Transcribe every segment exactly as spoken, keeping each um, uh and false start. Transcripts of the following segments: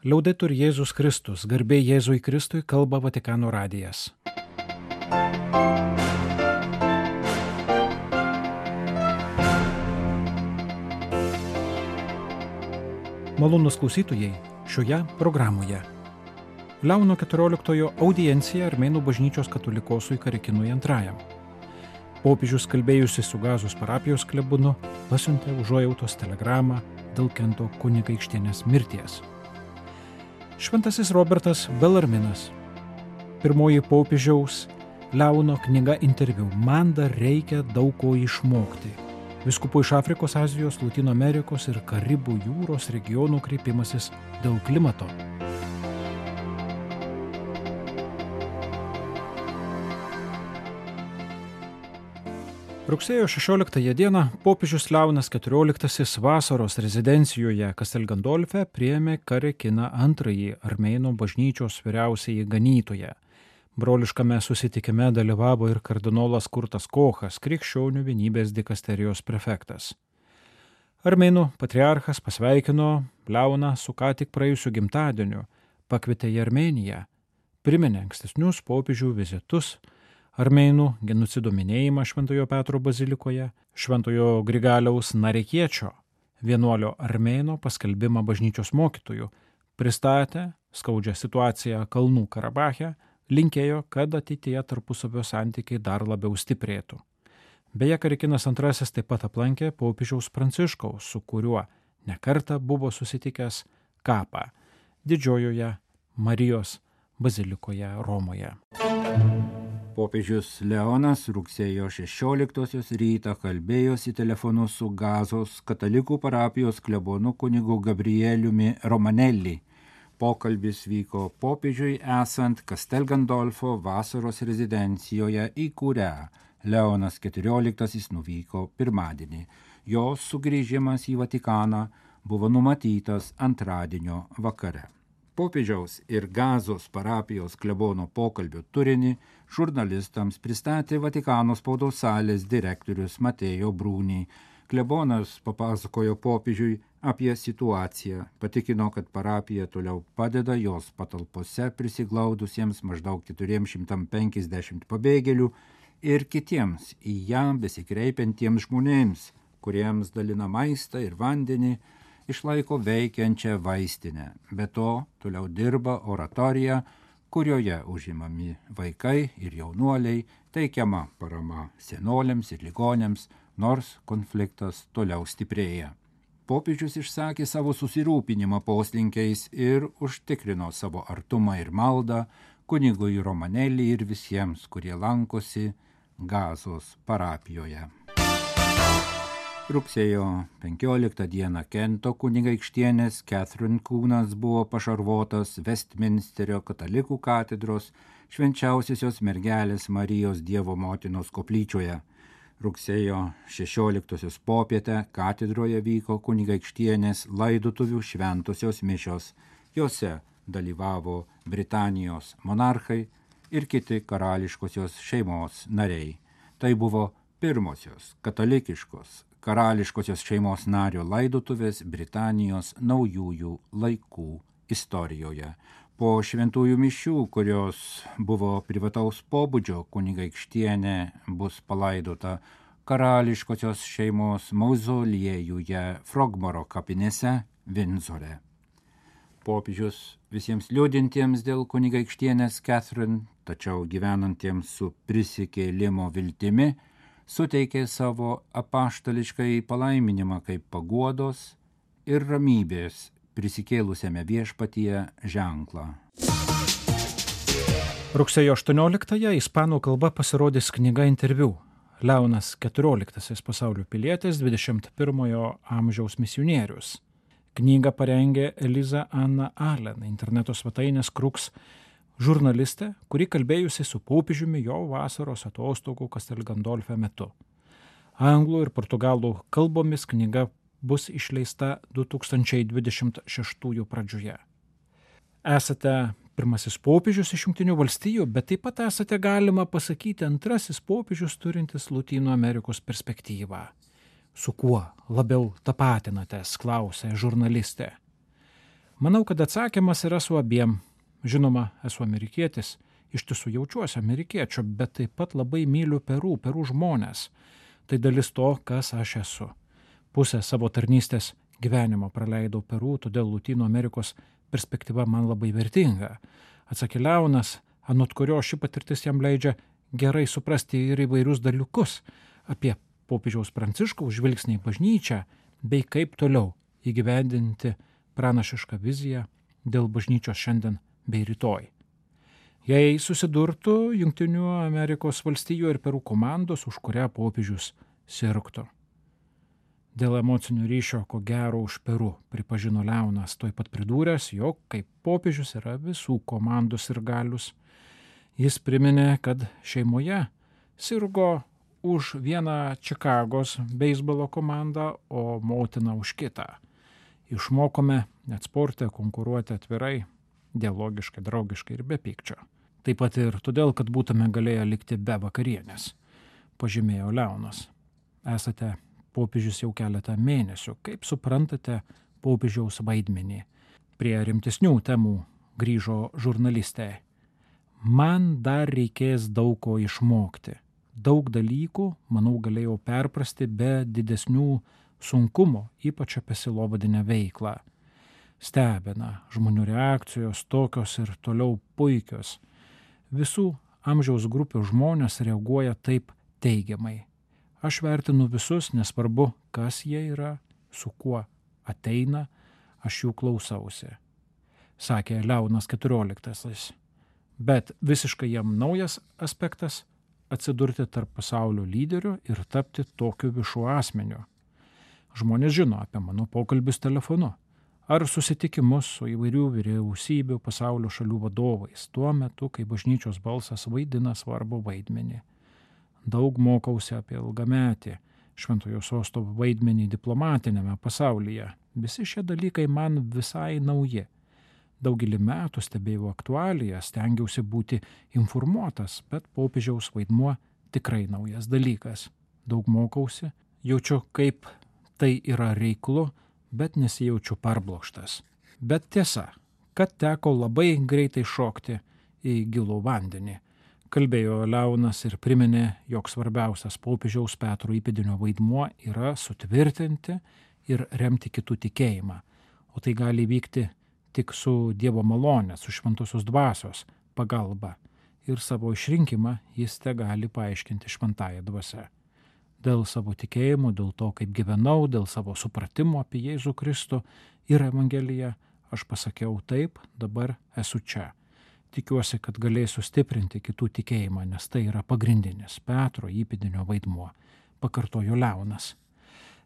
Liaudetur Jėzus Kristus, garbė Jėzui Kristui, kalba Vatikano radijas. Malonūs klausytojai, šioje programoje Leono keturioliktojo audiencija Armėnų bažnyčios katolikosui Karekinui antrajam. Popiežius kalbėjusi su Gazos parapijos klebonu pasiuntė užuojautos telegramą dėl Kento kunigaikštienės mirties. Šventasis Robertas Belarminas. Pirmoji popiežiaus Leono knyga interviu. Man dar reikia daug ko išmokti. Vyskupų iš Afrikos, Azijos, Lotynų Amerikos ir Karibų jūros regionų kreipimasis dėl klimato. Rugsėjo šešioliktąją dieną popiežius Leonas keturioliktasis vasaros rezidencijoje Castel Gandolfe priėmė Karekiną antrąjį Armėnų bažnyčios vyriausiąjį ganytoją. Broliškame susitikime dalyvavo ir kardinolas Kurtas Kochas, krikščionių vienybės dikasterijos prefektas. Armėnų patriarchas pasveikino Leoną su ką tik praėjusiu gimtadieniu, pakvietė į Armėniją, priminė ankstesnius popiežių vizitus, Armėnų genocido minėjimą Šventojo Petro bazilikoje, Šventojo Grigaliaus Narekiečio, vienuolio Armėno paskelbimą bažnyčios mokytojų, pristatė skaudžią situaciją Kalnų Karabache, linkėjo, kad ateityje tarpusavio santykiai dar labiau stiprėtų. Beje, Karekinas antrasis taip pat aplankė popiežiaus Pranciškaus, su kuriuo nekartą buvo susitikęs kapą Didžiojoje Marijos bazilikoje Romoje. Popiežius Leonas rugsėjo šešioliktosios rytą kalbėjosi telefonu su Gazos katalikų parapijos klebonu kunigu Gabrieliumi Romanelli. Pokalbis vyko popiežiui esant Castel Gandolfo vasaros rezidencijoje, į kurią Leonas keturioliktasis nuvyko pirmadienį. Jo sugrįžimas į Vatikaną buvo numatytas antradienio vakare. Popiežiaus ir Gazos parapijos klebono pokalbio turinį žurnalistams pristatė Vatikano spaudos salės direktorius Mateo Bruni. Klebonas papasakojo popiežiui apie situaciją, patikino, kad parapija toliau padeda jos patalpose prisiglaudusiems maždaug keturi šimtai penkiasdešimt pabėgėlių ir kitiems į ją besikreipiantiems žmonėms, kuriems dalina maistą ir vandenį, išlaiko veikiančią vaistinę. Be to, toliau dirba oratorija, kurioje užimami vaikai ir jaunuoliai, teikiama parama senoliams ir ligonėms, nors konfliktas toliau stiprėja. Popiežius išsakė savo susirūpinimą poslinkiais ir užtikrino savo artumą ir maldą kunigui Romanelli ir visiems, kurie lankosi Gazos parapijoje. Rugsėjo penkioliktą dieną Kento kunigaikštienės Catherine kūnas buvo pašarvotas Westminsterio katalikų katedros Švenčiausiosios mergelės Marijos Dievo motinos koplyčioje. Rugsėjo šešioliktosios popietę katedroje vyko kunigaikštienės laidotuvių šventosios mišios. Jose dalyvavo Britanijos monarchai ir kiti karališkosios šeimos nariai. Tai buvo pirmosios katalikiškos karališkosios šeimos nario laidotuvės Britanijos naujųjų laikų istorijoje. Po šventųjų mišių, kurios buvo privataus pobūdžio, kunigaikštienė bus palaidota karališkosios šeimos mauzoliejuje Frogmoro kapinėse Vindzore. Popiežius visiems liūdintiems dėl kunigaikštienės Catherine, tačiau gyvenantiems su prisikėlimo viltimi, suteikė savo apaštališkai palaiminimą kaip paguodos ir ramybės prisikėlusiame viešpatyje ženklą. Rugsėjo aštuonioliktąją ispanų kalba pasirodys knyga interviu. Leonas keturioliktasis pasaulio pilietis, dvidešimt pirmojo amžiaus misionierius. Knygą parengė Eliza Anna Allen, interneto svetainės Krux žurnalistė, kuri kalbėjusi su popiežiumi jo vasaros atostogų Castel Gandolfe metu. Anglų ir portugalų kalbomis knyga bus išleista du tūkstančiai dvidešimt šeštųjų pradžioje. Esate pirmasis popiežius iš Jungtinių valstijų, bet taip pat esate, galima pasakyti, antrasis popiežius turintis Lotynų Amerikos perspektyvą. Su kuo labiau tapatinatės, klausė žurnalistė. Manau, kad atsakymas yra su abiem. Žinoma, esu amerikietis, iš tiesų jaučiuosi amerikiečiu, bet taip pat labai myliu Peru, Peru žmonės. Tai dalis to, kas aš esu. Pusę savo tarnystės gyvenimo praleidau Peru, todėl Lotynų Amerikos perspektyva man labai vertinga. Atsakė Leonas, anot kurio ši patirtis jam leidžia gerai suprasti ir įvairius dalykus apie popiežiaus Pranciškaus žvilgsnį į bažnyčią, bei kaip toliau įgyvendinti pranašišką viziją dėl bažnyčios šiandien bei rytoj. Jei susidurtų Jungtinių Amerikos valstijų ir Peru komandos, už kurią popiežius sirgtų. Dėl emocinių ryšio, ko gero už Peru, pripažino Leonas, tuoj pat pridūręs, jog kaip popiežius yra visų komandos ir galius. Jis priminė, kad šeimoje sirgo už vieną Čikagos beisbolo komandą, o motina už kitą. Išmokome net sporte konkuruoti atvirai, dialogiškai, draugiškai ir be pykčio. Taip pat ir todėl, kad būtume galėję likti be vakarienės, pažymėjo Leonas. Esate popiežius jau keletą mėnesių. Kaip suprantate popiežiaus vaidmenį? Prie rimtesnių temų grįžo žurnalistė. Man dar reikės daug ko išmokti. Daug dalykų, manau, galėjau perprasti be didesnių sunkumo, ypač apie sielovadinę veiklą. Stebina žmonių reakcijos tokios ir toliau puikios. Visų amžiaus grupių žmonės reaguoja taip teigiamai. Aš vertinu visus, nesvarbu, kas jie yra, su kuo ateina, aš jų klausausi, sakė Leonas keturioliktasis. Bet visiškai jam naujas aspektas – atsidurti tarp pasaulio lyderių ir tapti tokiu višu asmeniu. Žmonės žino apie mano pokalbius telefonu ar susitikimus su įvairių vyriausybių pasaulio šalių vadovais, tuo metu, kai bažnyčios balsas vaidina svarbų vaidmenį. Daug mokausi apie ilgametį Šventojo Sosto vaidmenį diplomatinėme pasaulyje. Visi šie dalykai man visai nauji. Daugelį metų stebėjau aktualiją, stengiausi būti informuotas, bet popiežiaus vaidmuo tikrai naujas dalykas. Daug mokausi, jaučiu, kaip tai yra reiklu, bet nesijaučiu parblokštas. Bet tiesa, kad teko labai greitai šokti į gilų vandenį. Kalbėjo Leonas ir priminė, jog svarbiausias popiežiaus Petro įpėdinio vaidmuo yra sutvirtinti ir remti kitų tikėjimą, o tai gali vykti tik su Dievo malonė, su šventosios dvasios pagalba, ir savo išrinkimą jis te gali paaiškinti šventąją dvasią. Dėl savo tikėjimo, dėl to, kaip gyvenau, dėl savo supratimo apie Jėzų Kristų ir Evangeliją, aš pasakiau taip, dabar esu čia. Tikiuosi, kad galėsiu stiprinti kitų tikėjimą, nes tai yra pagrindinis Petro įpėdinio vaidmuo, pakartojo Leonas.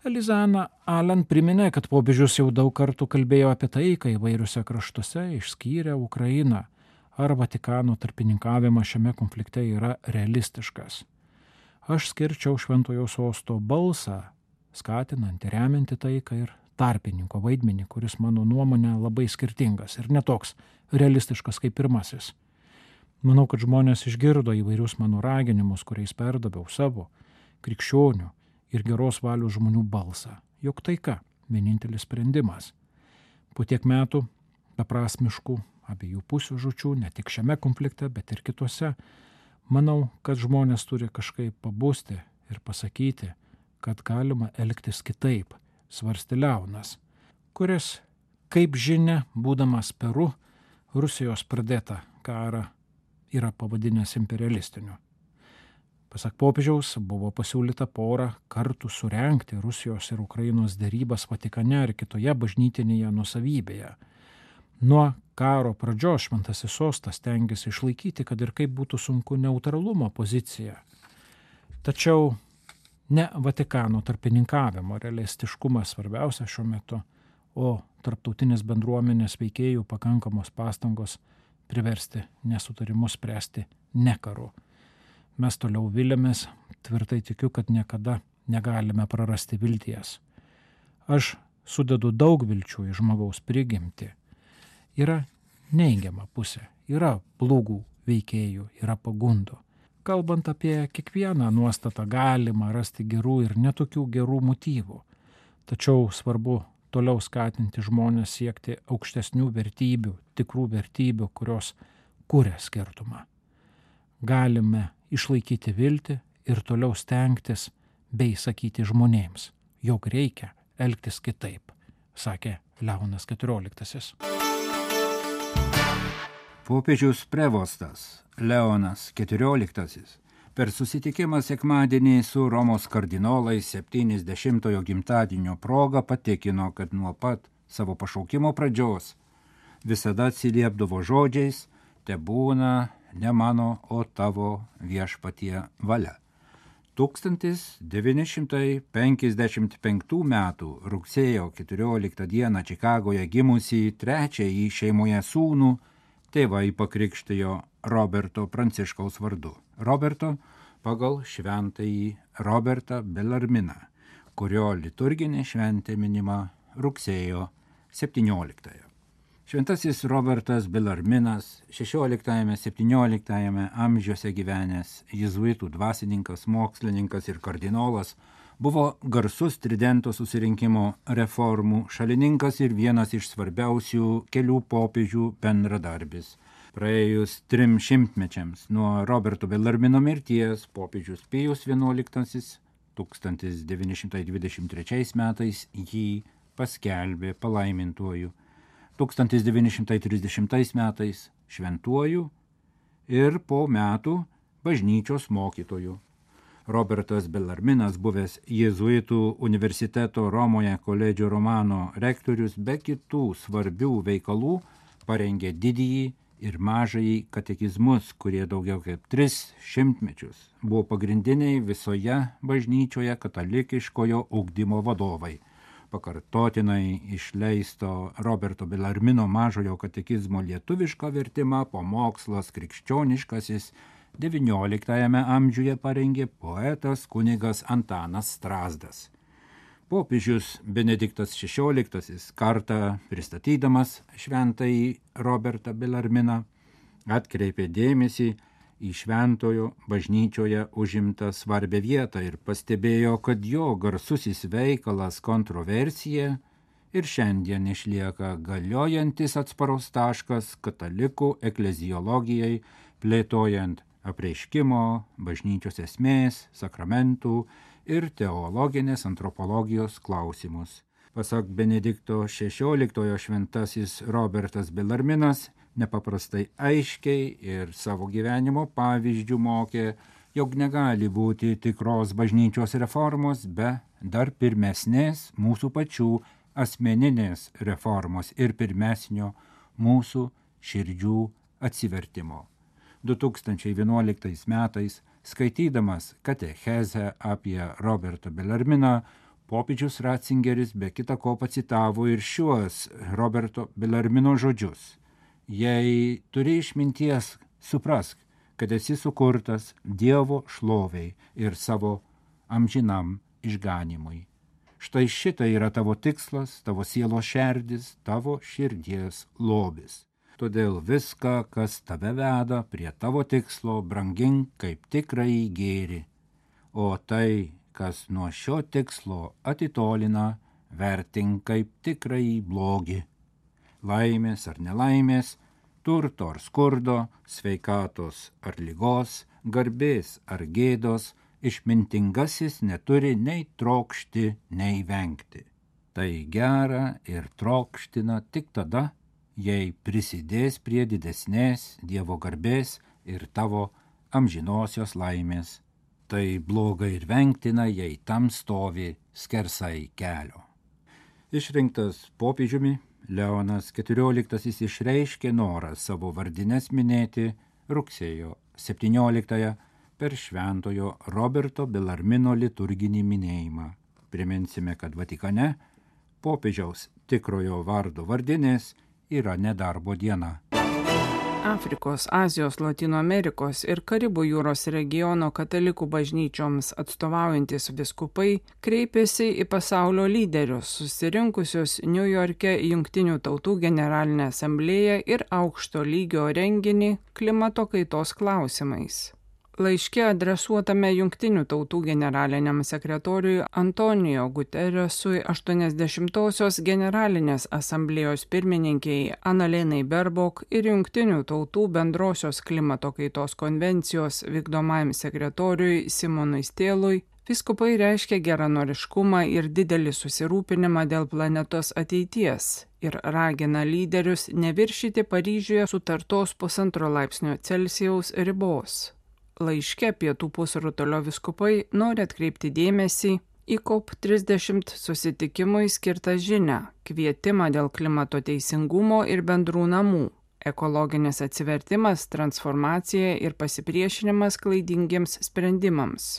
Elizana Alan priminė, kad popiežius jau daug kartų kalbėjo apie tai, kai įvairiuose kraštuose išskyrė Ukrainą, ar Vatikano tarpininkavimas šiame konflikte yra realistiškas. Aš skirčiau Šventojo Sosto balsą, skatinant ir remianti taiką ir tarpininko vaidmenį, kuris mano nuomonė labai skirtingas ir netoks realistiškas kaip pirmasis. Manau, kad žmonės išgirdo įvairius mano raginimus, kuriais perdaviau savo, krikščionių ir geros valios žmonių balsą, jog taika vienintelis sprendimas. Po tiek metų beprasmiškų abiejų pusių žūčių, ne tik šiame konflikte, bet ir kitose, manau, kad žmonės turi kažkaip pabusti ir pasakyti, kad galima elgtis kitaip, svarstė Leonas, kuris, kaip žinia, būdamas Peru, Rusijos pradėtą karą yra pavadinęs imperialistiniu. Pasak popiežiaus, buvo pasiūlyta porą kartų surengti Rusijos ir Ukrainos derybas Vatikane ir kitoje bažnytinėje nuosavybėje. Nuo karo pradžios Šventasis Sostas stengiasi išlaikyti, kad ir kaip būtų sunku, neutralumo poziciją. Tačiau ne Vatikano tarpininkavimo realistiškumas svarbiausia šiuo metu, o tarptautinės bendruomenės veikėjų pakankamos pastangos priversti nesutarimus spręsti ne karu. Mes toliau viliamės, tvirtai tikiu, kad niekada negalime prarasti vilties. Aš sudedu daug vilčių į žmogaus prigimtį. Yra neigiama pusė, yra blogų veikėjų, yra pagundų. Kalbant apie kiekvieną nuostatą, galima rasti gerų ir netokių gerų motyvų. Tačiau svarbu toliau skatinti žmonės siekti aukštesnių vertybių, tikrų vertybių, kurios kuria skirtumą. Galime išlaikyti viltį ir toliau stengtis bei sakyti žmonėms, jog reikia elgtis kitaip, sakė Leonas keturioliktasis. Popiežius prevostas Leonas keturioliktasis per susitikimą sekmadienį su Romos kardinolais septyniasdešimtojo gimtadienio proga patikino, kad nuo pat savo pašaukimo pradžios visada atsiliepdavo žodžiais: tebūna ne mano, o tavo viešpatie valia. tūkstantis devyni šimtai penkiasdešimt penktų metų rugsėjo keturioliktą dieną Čikagoje gimusį trečiąjį šeimoje sūnų tėvai pakrikštijo Roberto Pranciškaus vardu. Roberto pagal šventąjį Robertą Belarminą, kurio liturginė šventė minima rugsėjo septynioliktąją. Šventasis Robertas Belarminas šešioliktajame septynioliktajame amžiuose gyvenęs jėzuitų dvasininkas, mokslininkas ir kardinolas, buvo garsus Tridento susirinkimo reformų šalininkas ir vienas iš svarbiausių kelių popiežių bendradarbis. Praėjus trim šimtmečiams nuo Roberto Belarmino mirties popiežius Pijus vienuoliktasis tūkstantis devyni šimtai dvidešimt trečiais metais jį paskelbė palaimintuoju, tūkstantis devyni šimtai trisdešimtais metais šventuoju ir po metų bažnyčios mokytoju. Robertas Belarminas, buvęs jėzuitų universiteto Romoje koledžio Romano rektorius, be kitų svarbių veikalų parengė didįjį ir mažąjį katekizmus, kurie daugiau kaip tris šimtmečius buvo pagrindiniai visoje bažnyčioje katalikiškojo ugdymo vadovai. Pakartotinai išleisto Roberto Belarmino mažojo katekizmo lietuvišką vertimą pamokslas krikščioniškasis devynioliktajame amžiuje parengė poetas kunigas Antanas Strazdas. Popiežius Benediktas šešioliktasis kartą pristatydamas šventąjį Robertą Belarminą atkreipė dėmesį į šventojo bažnyčioje užimtą svarbią vietą ir pastebėjo, kad jo garsusis veikalas Kontroversija ir šiandien išlieka galiojantis atsparos taškas katalikų ekleziologijai, plėtojant apreiškimo, bažnyčios esmės, sakramentų ir teologinės antropologijos klausimus. Pasak Benedikto šešioliktojo šventasis Robertas Belarminas nepaprastai aiškiai ir savo gyvenimo pavyzdžių mokė, jog negali būti tikros bažnyčios reformos be dar pirmesnės mūsų pačių asmeninės reformos ir pirmesnio mūsų širdžių atsivertimo. du tūkstančiai vienuoliktais metais, skaitydamas katechezę apie Robertą Belarminą, popiežius Ratzingeris be kita ko pacitavo ir šiuos Roberto Belarmino žodžius: jei turi išminties, suprask, kad esi sukurtas Dievo šloviai ir savo amžinam išganimui. Štai šita yra tavo tikslas, tavo sielos šerdis, tavo širdies lobis. Todėl viską, kas tave veda prie tavo tikslo, brangink kaip tikrąjį gėrį, o tai, kas nuo šio tikslo atitolina, vertink kaip tikrąjį blogį. Laimės ar nelaimės, turto ar skurdo, sveikatos ar lygos, garbės ar gėdos, išmintingasis neturi nei trokšti, nei vengti. Tai gera ir trokština tik tada, jei prisidės prie didesnės Dievo garbės ir tavo amžinosios laimės. Tai bloga ir vengtina, jei tam stovi skersai kelio. Išrinktas popiežiumi, Leonas keturioliktasis išreiškė norą savo vardines minėti rugsėjo septynioliktąją per šventojo Roberto Belarmino liturginį minėjimą. Priminsime, kad Vatikane popiežiaus tikrojo vardo vardinės yra nedarbo diena. Afrikos, Azijos, Latino Amerikos ir Karibų jūros regiono katalikų bažnyčioms atstovaujantis vyskupai kreipėsi į pasaulio lyderius, susirinkusius Niujorke Jungtinių tautų generalinę asamblėją ir aukšto lygio renginį klimato kaitos klausimais. Laiške adresuotame Jungtinių tautų generaliniam sekretoriui Antonijo Guteresui aštuoniasdešimtosios generalinės asamblėjos pirmininkiai Analenai Berbok ir Jungtinių tautų bendrosios klimato kaitos konvencijos vykdomajam sekretoriui Simonui Stėlui, vyskupai reiškia geranoriškumą ir didelį susirūpinimą dėl planetos ateities ir ragina lyderius neviršyti Paryžiuje sutartos pusantro laipsnio Celsijaus ribos. Laiške Pietų pusrutulio vyskupai nori atkreipti dėmesį į COP trisdešimt susitikimui skirtą žinią, kvietimą dėl klimato teisingumo ir bendrų namų, ekologinis atsivertimas, transformacija ir pasipriešinimas klaidingiems sprendimams.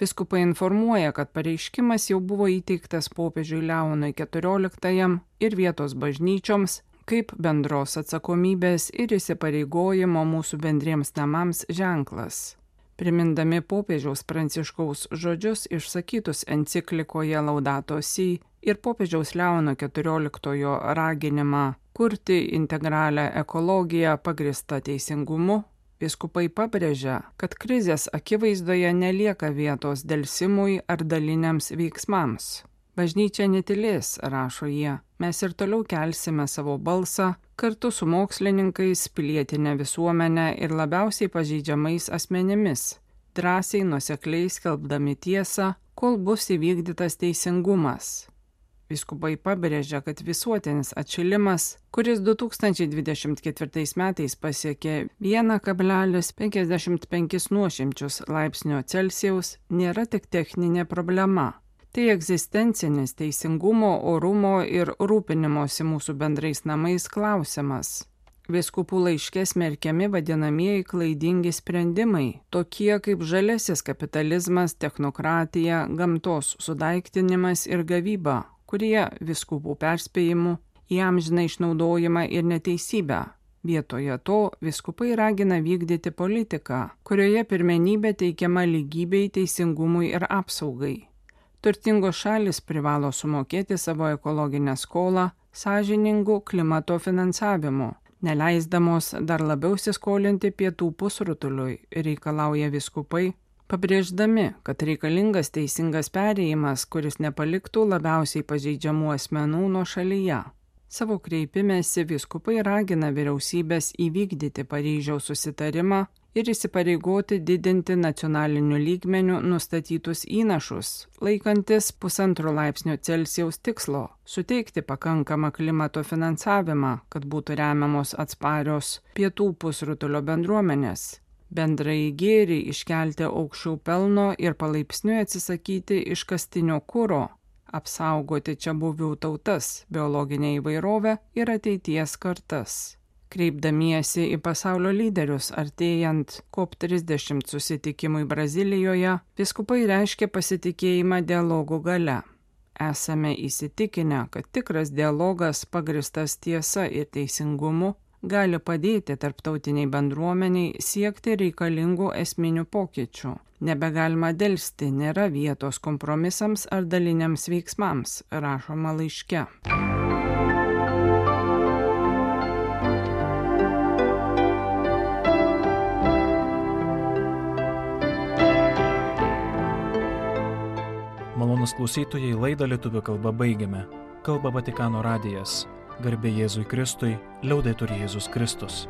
Vyskupai informuoja, kad pareiškimas jau buvo įteiktas popiežiui Leonui keturioliktajam ir vietos bažnyčioms kaip bendros atsakomybės ir įsipareigojimo mūsų bendriems namams ženklas. Primindami popiežiaus Pranciškaus žodžius išsakytus enciklikoje Laudato Si ir popiežiaus Leono keturioliktojo raginimą kurti integralią ekologiją pagristą teisingumu, vyskupai pabrėžia, kad krizės akivaizdoje nelieka vietos delsimui ar daliniams veiksmams. Bažnyčia netylės, rašo jie, mes ir toliau kelsime savo balsą kartu su mokslininkais, pilietinė visuomenė ir labiausiai pažeidžiamais asmenimis, drąsiai nuosekliai skelbdami tiesą, kol bus įvykdytas teisingumas. Vyskupai pabrėžia, kad visuotinis atšilimas, kuris du tūkstančiai dvidešimt ketvirtais metais pasiekė vieną kablelis penkiasdešimt penkis nuošimčius laipsnio Celsijaus, nėra tik techninė problema. Tai egzistencinis teisingumo, orumo ir rūpinimosi mūsų bendrais namais klausimas. Vyskupų laiške smerkiami vadinamieji klaidingi sprendimai, tokie kaip žaliasis kapitalizmas, technokratija, gamtos sudaiktinimas ir gavyba, kurie vyskupų perspėjimų įamžina išnaudojimą ir neteisybę. Vietoje to vyskupai ragina vykdyti politiką, kurioje pirmenybė teikiama lygybei, teisingumui ir apsaugai. Turtingos šalis privalo sumokėti savo ekologinę skolą sąžiningų klimato finansavimu, neleisdamos dar labiau įsiskolinti Pietų pusrutuliui, reikalauja vyskupai, pabrėždami, kad reikalingas teisingas perėjimas, kuris nepaliktų labiausiai pažeidžiamų asmenų nuošalyje. Savo kreipimėsi vyskupai ragina vyriausybės įvykdyti Paryžiaus susitarimą ir įsipareigoti didinti nacionaliniu lygmeniu nustatytus įnašus, laikantis pusantro laipsnio Celsijaus tikslo, suteikti pakankamą klimato finansavimą, kad būtų remiamos atsparios Pietų pusrutulio bendruomenės, bendrai gėrį iškelti aukščiau pelno ir palaipsniui atsisakyti iškastinio kuro, apsaugoti čiabuvių tautas, biologinę įvairovę ir ateities kartas. Kreipdamiesi į pasaulio lyderius artėjant COP trisdešimt susitikimui Brazilijoje, vyskupai reiškia pasitikėjimą dialogų gale. Esame įsitikinę, kad tikras dialogas pagristas tiesa ir teisingumu gali padėti tarptautiniai bendruomeniai siekti reikalingų esminių pokyčių. Nebegalima delsti, nėra vietos kompromisams ar daliniams veiksmams, rašoma laiške. Malonūs klausytojai, laidą lietuvių kalba baigiame. Kalba Vatikano radijas. Garbė Jėzui Kristui, liaudetur Jėzus Kristus.